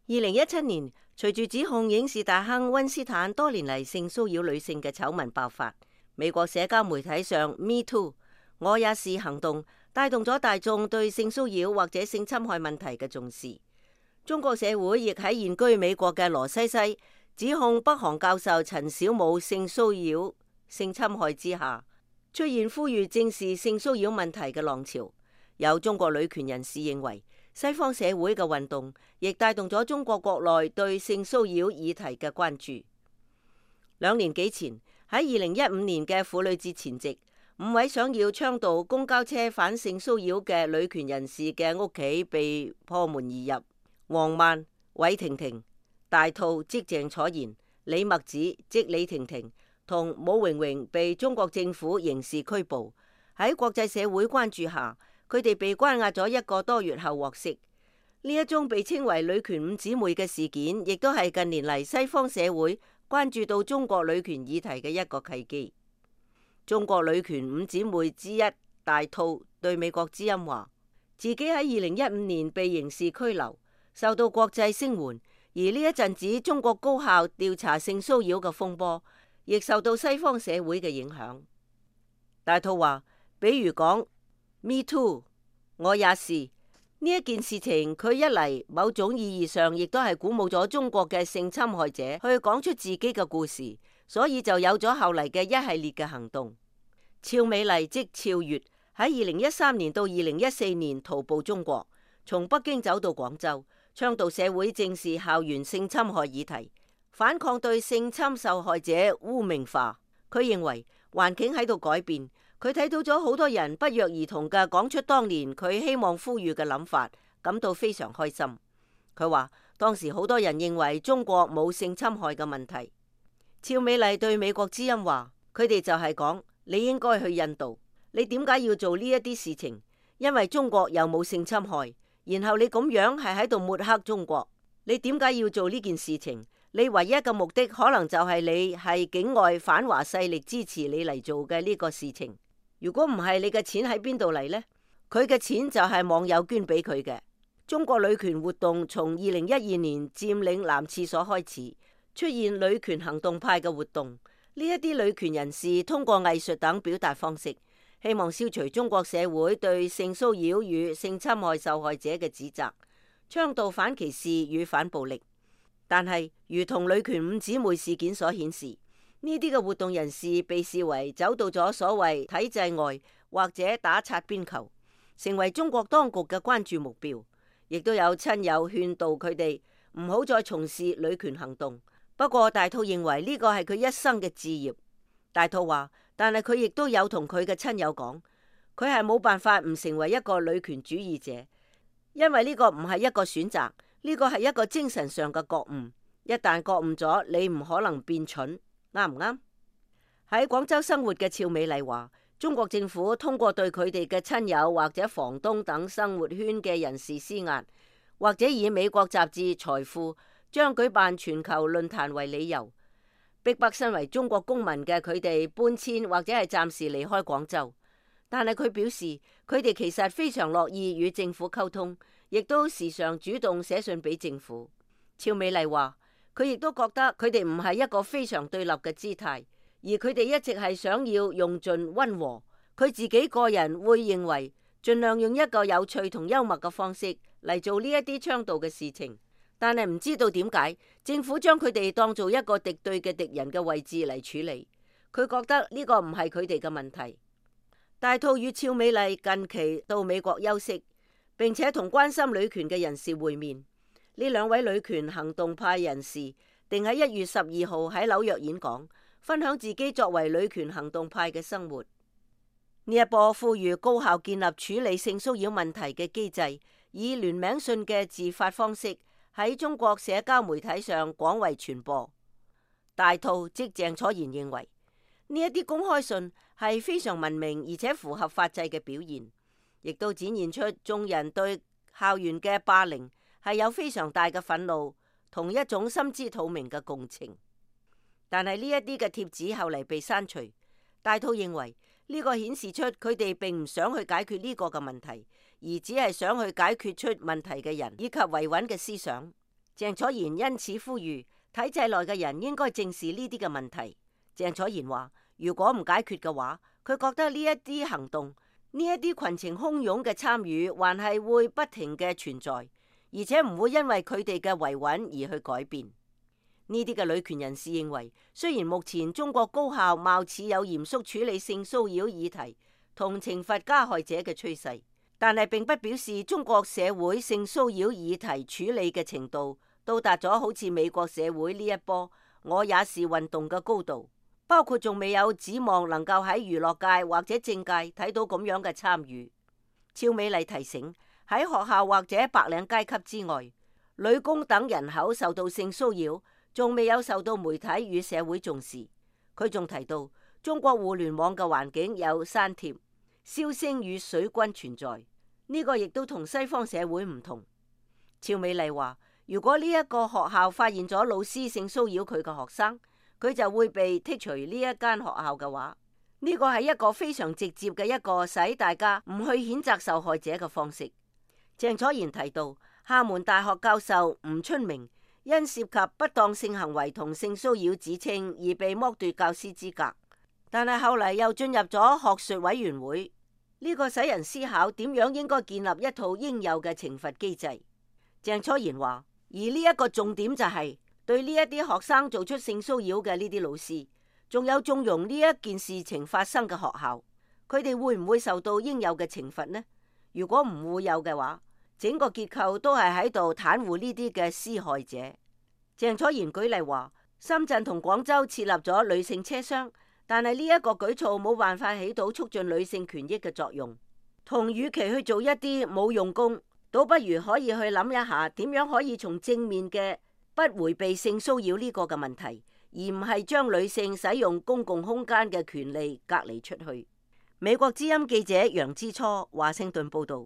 2017年，隨住指控影視大亨溫斯坦多年嚟性騷擾女性嘅醜聞爆發，美國社交媒體上 Me Too 我也是行動帶動咗大眾對性騷擾或者性侵害問題嘅重視。中國社會亦喺現居美國嘅羅西西指控北韓教授陳小武性騷擾、性侵害之下，出現呼籲正視性騷擾問題嘅浪潮。有中國女權人士認為，西方社會嘅運動亦帶動咗中國國內對性騷擾議題嘅關注。2年幾前，喺2015年嘅婦女節前夕，5位想要倡導公交車反性騷擾嘅女權人士嘅屋企被破門而入。王曼、韋婷婷、大兔即鄭楚賢、李墨子即李婷婷同武榮榮被中國政府刑事拘捕。喺國際社會關注下，佢哋被關押咗1個多月後獲釋。呢一宗被稱為女權5姊妹嘅事件，亦都係近年嚟西方社會關注到中國女權議題嘅一個契機。中國女權5姊妹之一大兔對美國之音話，自己喺2015年被刑事拘留，受到國際聲援，而呢一陣子中國高校調查性騷擾嘅風波，亦受到西方社會嘅影響。大兔話，比如講 Me Too 我也是呢一件事情，佢一嚟某種意義上亦都係鼓舞咗中國嘅性侵害者去講出自己嘅故事，所以就有咗後嚟嘅一系列嘅行動。俏美麗即俏月喺2013年到2014年徒步中國，從北京走到廣州，倡導社會正視校園性侵害議題，反抗對性侵受害者污名化。佢認為環境喺度改變，佢睇到咗好多人不約而同嘅講出當年佢希望呼籲嘅諗法，感到非常開心。佢話當時好多人認為中國冇性侵害嘅問題。俏美麗對美國之音話，佢哋就係講，你應該去印度，你點解要做呢一啲事情？因為中國又冇性侵害，然後你咁樣係喺度抹黑中國，你點解要做呢件事情？你唯一嘅目的可能就係你係境外反華勢力支持你嚟做嘅呢個事情。如果唔係，你嘅錢喺邊度嚟呢？佢嘅錢就係網友捐俾佢嘅。中國女權活動從2012年佔領男廁所開始，出現女權行動派嘅活動。呢一啲女權人士通過藝術等表達方式，希望消除中國社會對性騷擾與性侵害受害者嘅指責，倡導反歧視與反暴力。但係，如同女權5姊妹事件所顯示，呢啲嘅活動人士被視為走到咗所謂體制外，或者打擦邊球，成為中國當局嘅關注目標。亦都有親友勸導佢哋唔好再從事女權行動。不過大兔認為呢個係佢一生嘅志業。大兔話，但係佢亦都有同佢嘅親友講，佢係冇辦法唔成為一個女權主義者，因為呢個唔係一個選擇，呢個係一個精神上嘅覺悟。一旦覺悟咗，你唔可能變蠢，啱唔啱？喺廣州生活嘅俏美麗話，中國政府通過對佢哋嘅親友或者房東等生活圈嘅人士施壓，或者以美國雜誌《財富》將舉辦全球論壇為理由，逼迫身為中國公民嘅佢哋搬遷或者係暫時離開廣州。但係佢表示，佢哋其實非常樂意與政府溝通，亦都時常主動寫信俾政府。俏美麗話，佢亦都覺得佢哋唔係一個非常對立嘅姿態，而佢哋一直係想要用盡溫和。佢自己個人會認為，盡量用一個有趣同幽默嘅方式嚟做呢一啲倡導嘅事情。但係唔知道點解政府將佢哋當做一個敵對嘅敵人嘅位置嚟處理。佢覺得呢個唔係佢哋嘅問題。大兔與俏美麗近期到美國休息，並且同關心女權嘅人士會面。呢2位女權行動派人士定喺1月12號喺紐約演講，分享自己作為女權行動派嘅生活。呢一波呼籲高校建立處理性騷擾問題嘅機制，以聯名信嘅自發方式喺中國社交媒體上廣為傳播。大兔即鄭楚賢認為，呢一啲公開信係非常文明而且符合法制嘅表現，亦都展現出眾人對校園嘅霸凌係有非常大嘅憤怒，同一種心知肚明嘅共情。但係呢一啲嘅貼紙後嚟被刪除。大兔認為呢個顯示出佢哋並唔想去解決呢個嘅問題，而只係想去解決出問題嘅人以及維穩嘅思想。鄭楚賢因此呼籲體制內嘅人應該正視呢啲嘅問題。鄭楚賢話：如果唔解決嘅話，佢覺得呢一啲行動，呢一啲群情洶湧嘅參與，還係會不停嘅存在，而且唔會因為佢哋嘅維穩而去改變。呢啲嘅女權人士認為，雖然目前中國高校貌似有嚴肅處理性騷擾議題同懲罰加害者嘅趨勢，但係並不表示中國社會性騷擾議題處理嘅程度到達咗好似美國社會呢一波我也是運動嘅高度，包括仲未有指望能夠喺娛樂界或者政界睇到咁樣嘅參與。趙美麗提醒，喺學校或者白領階級之外，女工等人口受到性騷擾仲未有受到媒體與社會重視。佢仲提到，中國互聯網嘅環境有刪帖、燒聲與水軍存在，呢個亦都同西方社會唔同。趙美麗話：如果呢一個學校發現咗老師性騷擾佢嘅學生，佢就會被剔除呢一間學校嘅話，呢個係一個非常直接嘅一個使大家唔去譴責受害者嘅方式。鄭楚賢提到，廈門大學教授吳春明因涉及不當性行為同性騷擾指稱而被剝奪教師資格，但係後嚟又進入咗學術委員會，呢個使人思考點樣應該建立一套應有嘅懲罰機制。鄭楚賢話，而呢一個重點就係對呢一啲學生做出性騷擾嘅呢啲老師，仲有縱容呢一件事情發生嘅學校，佢哋會唔會受到應有嘅懲罰呢？如果唔會有嘅話，整個結構都係喺度袒護呢啲嘅施害者。鄭楚賢舉例話，深圳同廣州設立咗女性車廂，但係呢一個舉措冇辦法起到促進女性權益嘅作用。同與其去做一啲冇用功，倒不如可以去諗一下點樣可以從正面嘅不迴避性騷擾呢個嘅問題，而唔係將女性使用公共空間嘅權利隔離出去。美國之音記者楊之初華盛頓報道。